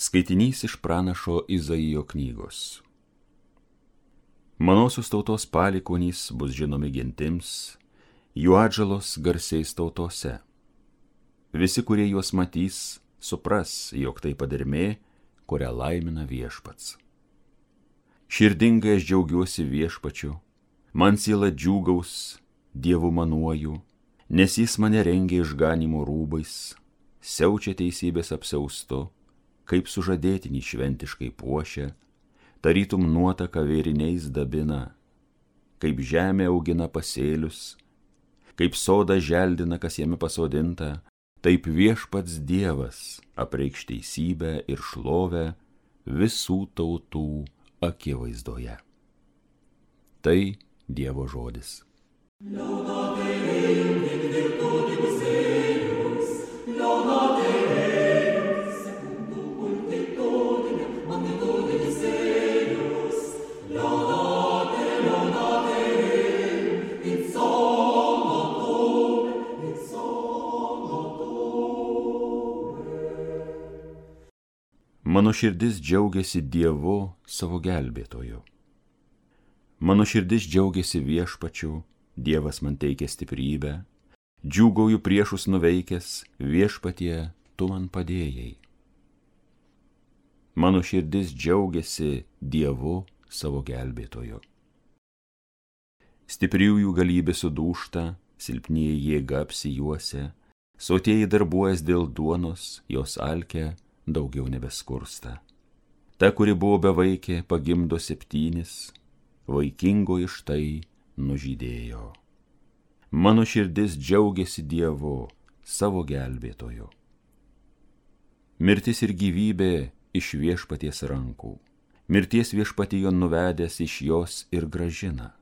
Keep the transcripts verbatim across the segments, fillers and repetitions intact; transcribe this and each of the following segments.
Skaitinys iš pranašo Izaijo knygos. Manosios tautos palikuonys bus žinomi gentims, jų atžalos garsiais tautose. Visi, kurie juos matys, supras, jog tai padermė, kurią laimina viešpats. Širdingai aš džiaugiuosi viešpačiu, man siela džiūgaus, Dievu manuoju, nes jis mane rengia išganimo rūbais, siaučia teisybės apsiaustu, kaip sužadėtinį šventiškai puošia, tarytum nuotaka vėriniais dabina, kaip žemė augina pasėlius, kaip soda želdina, kas jame pasodinta, taip viešpats Dievas apreikš teisybę ir šlovę visų tautų akivaizdoje. Tai Dievo žodis. Laudate Deum in virtutibus eius, laudate Deum secundum multitudinem magnitudibus eius, laudate, laudate Deum in sonotone, in sonotone. Mano širdis džiaugiasi Dievu savo gelbėtoju. Mano širdis džiaugiasi viešpačiu, Dievas man teikia stiprybę, džiūgauju priešus nuveikęs, viešpatie, tu man padėjai. Mano širdis džiaugiasi Dievu savo gelbėtoju. Stipriųjų galybė sudūžta, silpnieji jėga apsijuosia, sotieji darbuojas dėl duonos, jos alkia daugiau nebeskursta. Ta, kuri buvo bevaikė, pagimdo septynis, vaikingoji štai nužydėjo. Mano širdis džiaugiasi Dievu, savo gelbėtoju. Mirtis ir gyvybė iš viešpaties rankų, mirties viešpatijo nuvedęs iš jos ir gražina.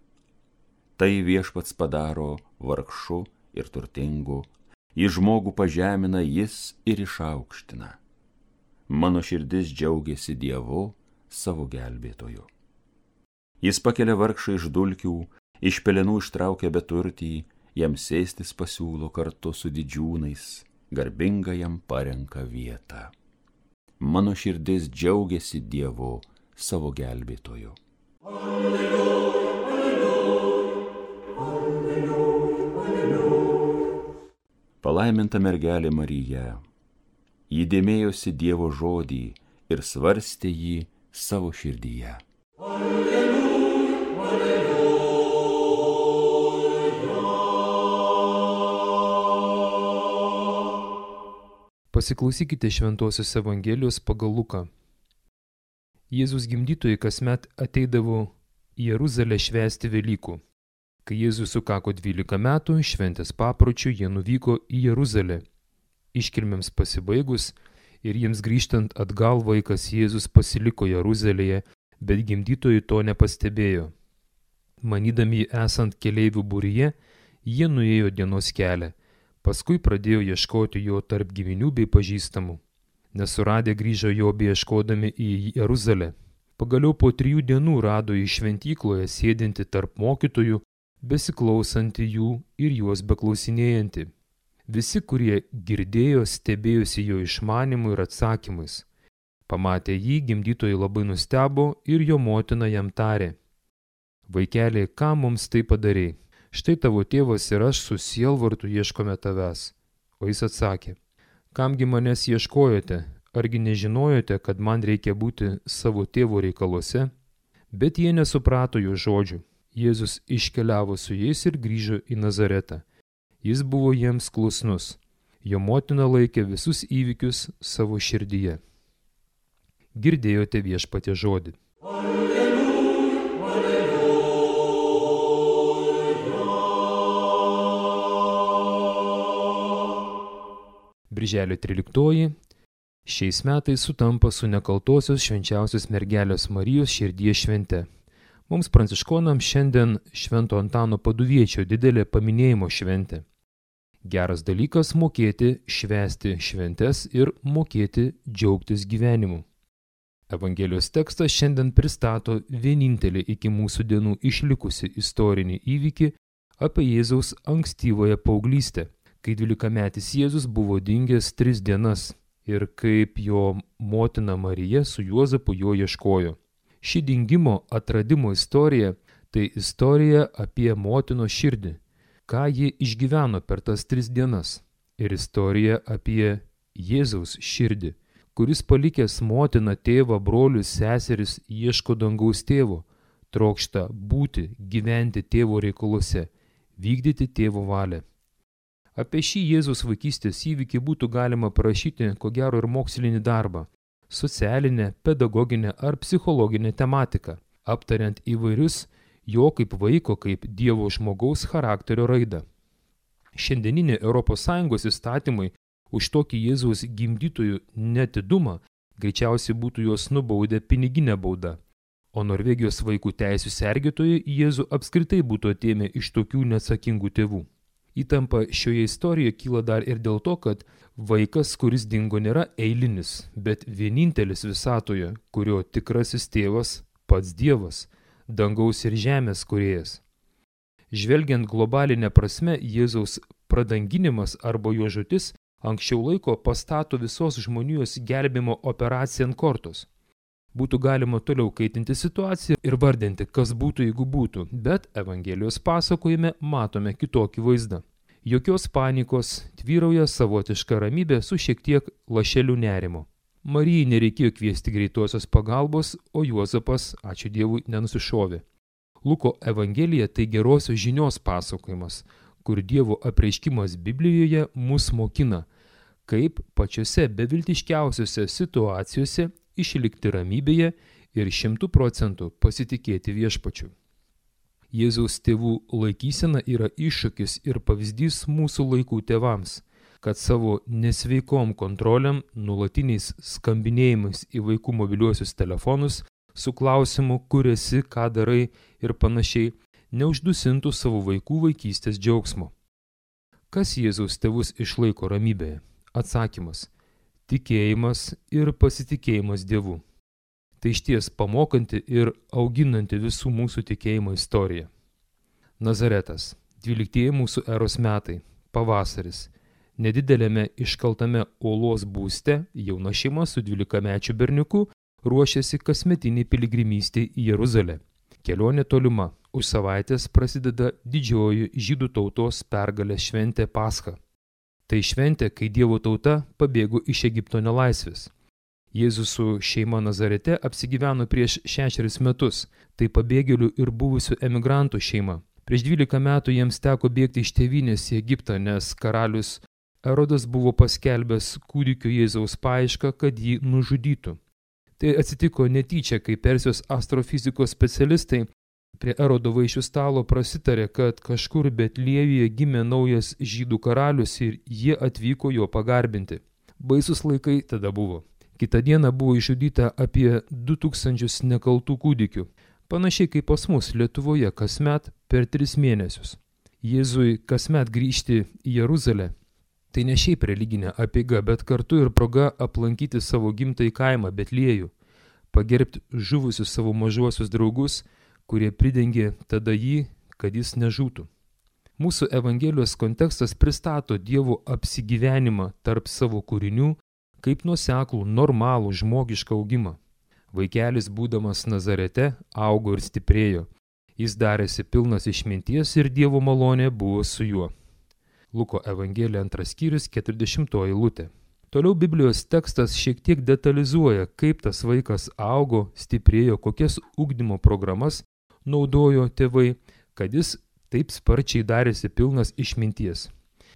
Tai viešpats padaro vargšu ir turtingu, į žmogų pažemina jis ir išaukština. Mano širdis džiaugiasi Dievu, savo gelbėtoju. Jis pakelia vargšą iš dulkių, iš pelenų ištraukia beturtį, jam sėstis pasiūlo kartu su didžiūnais, garbinga jam parenka vietą. Mano širdis džiaugiasi Dievu, savo gelbėtoju. Alleluja, alleluja, alleluja, alleluja. Palaiminta mergelė Marija, ji dėmėjosi Dievo žodį ir svarstė jį savo širdyje. Alleluja. Pasiklausykite Šventosios Evangelijos pagal Luką. Jėzus gimdytojai kasmet ateidavo į Jeruzalę švęsti Velykų. Kai Jėzus sukako dvylika metų, šventės papročių jie nuvyko į Jeruzalę. Iškilmėms pasibaigus ir jiems grįžtant atgal vaikas Jėzus pasiliko Jeruzalėje, bet gimdytojai to nepastebėjo. Manydami esant keleivių būryje, jie nuėjo dienos kelią. Paskui pradėjo ieškoti jo tarp giminių bei pažįstamų. Nesuradę grįžo jo beieškodami į Jeruzalę. Pagaliau po trijų dienų rado jį šventykloje sėdinti tarp mokytojų, besiklausantį jų ir juos beklausinėjantį. Visi, kurie girdėjo, stebėjosi jo išmanimu ir atsakymais. Pamatę jį, gimdytojai labai nustebo ir jo motina jam tarė: Vaikeli, ką mums tai padarei? Štai tavo tėvas ir aš su sielvartu ieškome tavęs. O jis atsakė: Kamgi manęs ieškojote? Argi nežinojote, kad man reikia būti savo tėvo reikaluose? Bet jie nesuprato jo žodžių. Jėzus iškeliavo su jais ir grįžo į Nazaretą. Jis buvo jiems klusnus. Jo motina laikė visus įvykius savo širdyje. Girdėjote Viešpaties žodį. Birželio tryliktoji šiais metais sutampa su nekaltosios švenčiausios mergelės Marijos širdies švente. Mums pranciškonams šiandien Švento Antano Paduviečio didelė paminėjimo šventė. Geras dalykas mokėti švęsti šventes ir mokėti džiaugtis gyvenimu. Evangelijos tekstas šiandien pristato vienintelį iki mūsų dienų išlikusi istorinį įvykį apie Jėzaus ankstyvąją paauglystę, kai dvylikametis Jėzus buvo dingęs tris dienas ir kaip jo motina Marija su Juozapu jo ieškojo. Ši dingimo atradimo istorija tai istorija apie motinos širdį, ką ji išgyveno per tas tris dienas, ir istorija apie Jėzaus širdį, kuris palikęs motiną, tėvą, brolius, seseris, ieško dangaus tėvo, trokšta būti, gyventi tėvo reikaluose, vykdyti tėvo valią. Apie šį Jėzaus vaikystės įvykį būtų galima parašyti, ko gero, ir mokslinį darbą, socialinę, pedagoginę ar psichologinę tematiką, aptariant įvairius jo kaip vaiko, kaip Dievo žmogaus charakterio raidą. Šiandieninė Europos Sąjungos įstatymai už tokį Jėzaus gimdytojų netidumą greičiausiai būtų juos nubaudę piniginę baudą, o Norvegijos vaikų teisių sergėtojai Jėzų apskritai būtų atėmę iš tokių neatsakingų tėvų. Įtampa šioje istorijoje kyla dar ir dėl to, kad vaikas, kuris dingo, nėra eilinis, bet vienintelis visatoje, kurio tikrasis tėvas pats Dievas, dangaus ir žemės kūrėjas. Žvelgiant globalinę prasme, Jėzaus pradanginimas arba jo žūtis anksčiau laiko pastato visos žmonijos gelbėjimo operaciją ant kortos. Būtų galima toliau kaitinti situaciją ir vardinti, kas būtų, jeigu būtų, bet Evangelijos pasakojime matome kitokį vaizdą. Jokios panikos, tvyrauja savotiška ramybė su šiek tiek lašeliu nerimo. Marijai nereikėjo kviesti greitosios pagalbos, o Juozapas, ačiū Dievui, nenusišovė. Luko Evangelija tai gerosios žinios pasakojimas, kur Dievo apreiškimas Biblijoje mus mokina, kaip pačiose beviltiškiausiose situacijose išlikti ramybėje ir šimtų procentų pasitikėti viešpačiu. Jėzaus tėvų laikysena yra iššūkis ir pavyzdys mūsų laikų tėvams, kad savo nesveikom kontroliam, nuolatiniais skambinėjimais į vaikų mobiliuosius telefonus su klausimu, kur esi, ką darai ir panašiai, neuždusintų savo vaikų vaikystės džiaugsmo. Kas Jėzaus tėvus išlaiko ramybėje? Atsakymas – tikėjimas ir pasitikėjimas Dievu. Tai išties pamokanti ir auginanti visų mūsų tikėjimo istorija. Nazaretas, dvyliktieji mūsų eros metai, pavasaris. Nedidelėme iškaltame uolos būste jauna šeima su dvylikamečiu berniuku ruošiasi kasmetiniai piligrimystei į Jeruzalę. Kelionė tolima, už savaitės prasideda didžioji žydų tautos pergalės šventė Pascha. Tai šventė, kai Dievo tauta pabėgo iš Egipto nelaisvės. Jėzus su šeima Nazarete apsigyveno prieš šešerius metus, tai pabėgėlių ir buvusių emigrantų šeima. Prieš dvylika metų jiems teko bėgti iš tėvynės į Egiptą, nes karalius Erodas buvo paskelbęs kūdikio Jėzaus paiešką, kad jį nužudytų. Tai atsitiko netyčia, kai Persijos astrofizikos specialistai prie Erodo vaišių stalo prasitarė, kad kažkur Betliejuje gimė naujas žydų karalius ir jie atvyko jo pagarbinti. Baisus laikai tada buvo. Kitą dieną buvo išžudyta apie du tūkstančius nekaltų kūdikių, panašiai kaip pas mus Lietuvoje kasmet per tris mėnesius. Jėzui kasmet grįžti į Jeruzalę. Tai ne šiaip religinė apeiga, bet kartu ir proga aplankyti savo gimtąjį kaimą Betliejų, pagerbti žuvusius savo mažuosius draugus, kurie pridengė tada jį, kad jis nežūtų. Mūsų Evangelijos kontekstas pristato Dievo apsigyvenimą tarp savo kūrinių kaip nuoseklų, normalų, žmogišką augimą. Vaikelis, būdamas Nazarete, augo ir stiprėjo. Jis darėsi pilnas išminties ir Dievo malonė buvo su juo. Luko Evangelija antras skyrius, keturiasdešimtoji eilutė. Toliau Biblijos tekstas šiek tiek detalizuoja, kaip tas vaikas augo, stiprėjo, kokias ugdymo programas naudojo tėvai, kad jis taip sparčiai darėsi pilnas išminties.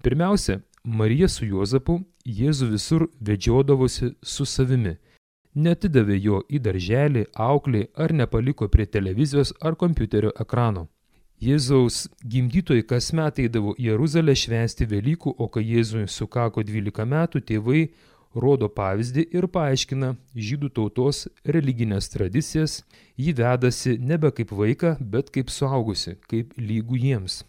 Pirmiausia, Marija su Juozapu Jėzų visur vedžiodavosi su savimi. Neatidavė jo į darželį, auklį ar nepaliko prie televizijos ar kompiuterio ekrano. Jėzaus gimdytojai kasmet eidavo į Jeruzalę švęsti Velykų, o kai Jėzui sukako dvylika metų, tėvai rodo pavyzdį ir paaiškina žydų tautos religinės tradicijas, jį vedasi nebe kaip vaiką, bet kaip suaugusi, kaip lygų jiems.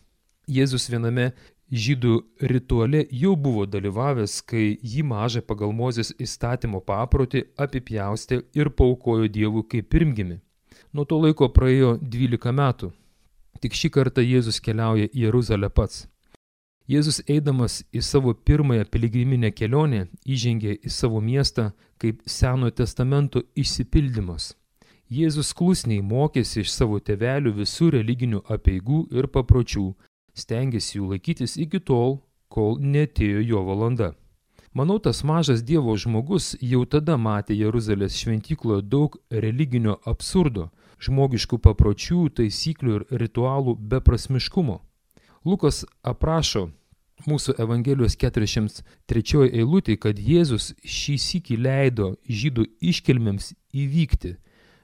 Jėzus viename žydų rituale jau buvo dalyvavęs, kai jį mažą pagal Mozės įstatymo paprotį apipjaustė ir paaukojo Dievui kaip pirmgimį. Nuo to laiko praėjo dvylika metų. Tik šį kartą Jėzus keliauja į Jeruzalę pats. Jėzus eidamas į savo pirmąją piligriminę kelionę įžengė į savo miestą kaip Senojo testamento išsipildymas. Jėzus klusniai mokėsi iš savo tėvelių visų religinių apeigų ir papročių, stengėsi jų laikytis iki tol, kol neatėjo jo valanda. Manau, tas mažas Dievo žmogus jau tada matė Jeruzalės šventykloje daug religinio absurdo, žmogiškų papročių, taisyklių ir ritualų beprasmiškumo. Lukas aprašo mūsų Evangelijos keturiasdešimt trečioje eilutėje, kad Jėzus šį sykį leido žydų iškilmėms įvykti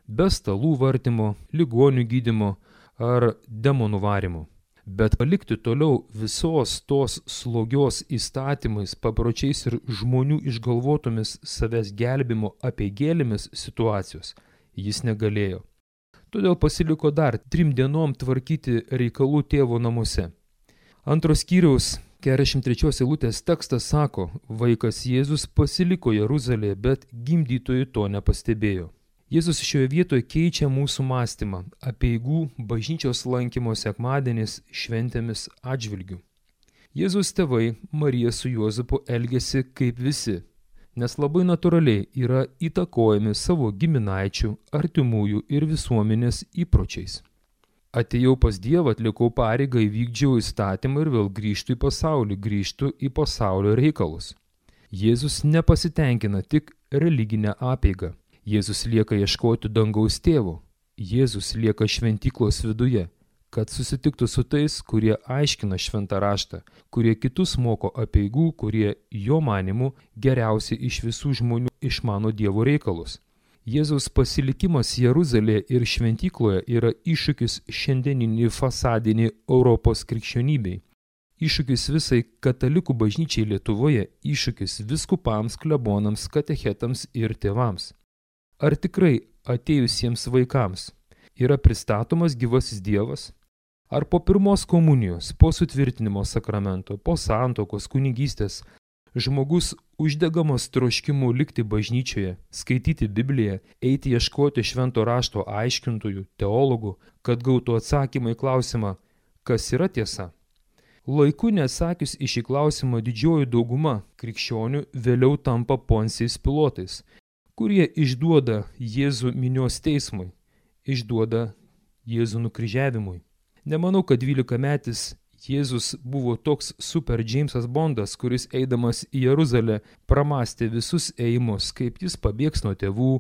be stalų vartymo, ligonių gydymo ar demonų varymo. Bet palikti toliau visos tos slogios įstatymais, papročiais ir žmonių išgalvotomis savęs gelbimo apeigėlėmis situacijos jis negalėjo. Todėl pasiliko dar trim dienom tvarkyti reikalų tėvo namuose. Antros skyriaus keturiasdešimt trečios eilutės tekstas sako, vaikas Jėzus pasiliko Jeruzalėje, bet gimdytojai to nepastebėjo. Jėzus šioje vietoje keičia mūsų mąstymą apeigų, bažnyčios lankymo sekmadieniais, šventėmis atžvilgių. Jėzus tėvai Marija su Juozapu elgėsi kaip visi, nes labai natūraliai yra įtakojami savo giminaičių, artimųjų ir visuomenės įpročiais. Atėjau pas Dievą, atlikau pareigą, įvykdžiau įstatymą ir vėl grįžtu į pasaulį, grįžtu į pasaulio reikalus. Jėzus nepasitenkina tik religinę apeigą. Jėzus lieka ieškoti dangaus tėvo. Jėzus lieka šventyklos viduje, kad susitiktų su tais, kurie aiškina šventą raštą, kurie kitus moko apeigų, kurie jo manimu geriausiai iš visų žmonių išmano Dievo reikalus. Jėzaus pasilikimas Jeruzalėje ir šventykloje yra iššūkis šiandieninį fasadinį Europos krikščionybei. Iššūkis visai katalikų bažnyčiai Lietuvoje, iššūkis vyskupams, klebonams, katechetams ir tėvams. Ar tikrai atėjusiems vaikams yra pristatomas gyvasis Dievas? Ar po pirmos komunijos, po sutvirtinimo sakramento, po santuokos, kunigystės, žmogus uždegamas troškimu likti bažnyčioje, skaityti Bibliją, eiti ieškoti švento rašto aiškintojų, teologų, kad gautų atsakymą į klausimą, kas yra tiesa? Laiku neatsakius į šį klausimą didžioji dauguma krikščionių vėliau tampa Poncijais Pilotais, kurie išduoda Jėzų minios teismui, išduoda Jėzų nukryžiavimui. Nemanau, kad dvylikametis Jėzus buvo toks super Džeimsas Bondas, kuris eidamas į Jeruzalę pramastė visus ėjimus, kaip jis pabėgs nuo tėvų,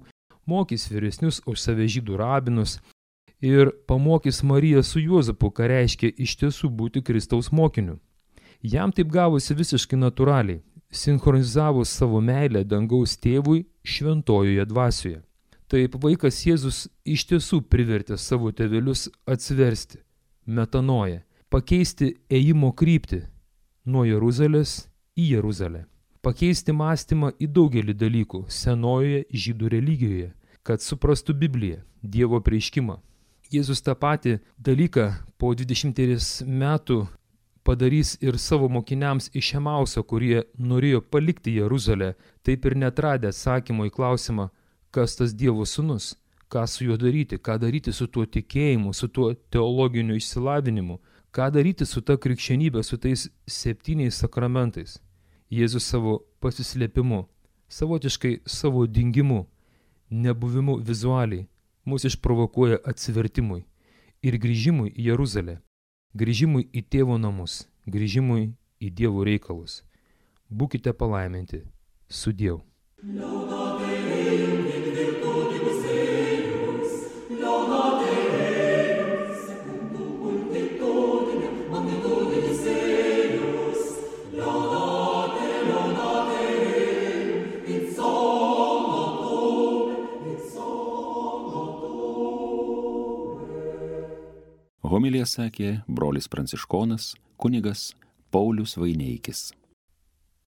mokys vyresnius už save žydų rabinus ir pamokys Mariją su Juozapu, ką reiškia iš tiesų būti Kristaus mokiniu. Jam taip gavosi visiškai natūraliai, sinchronizavus savo meilę dangaus tėvui šventojoje dvasioje. Taip vaikas Jėzus iš tiesų privertė savo tėvelius atsiversti, metanoją, pakeisti ėjimo kryptį nuo Jeruzalės į Jeruzalę, pakeisti mąstymą į daugelį dalykų senojoje žydų religijoje, kad suprastų Bibliją, Dievo apreiškimą. Jėzus tą patį dalyką po dvidešimties metų padarys ir savo mokiniams iš Emauso, kurie norėjo palikti Jeruzalę, taip ir neatradę atsakymo į klausimą, kas tas Dievo sūnus, ką su juo daryti, ką daryti su tuo tikėjimu, su tuo teologiniu išsilavinimu, ką daryti su ta krikščionybė, su tais septyniais sakramentais. Jėzus savo pasislėpimu, savotiškai savo dingimu, nebuvimu vizualiai, mus išprovokuoja atsivertimui ir grįžimui į Jeruzalę. Grįžimui į tėvo namus, grįžimui į Dievo reikalus. Būkite palaiminti. Sudiev. Homiliją sakė brolis pranciškonas kunigas Paulius Vaineikis.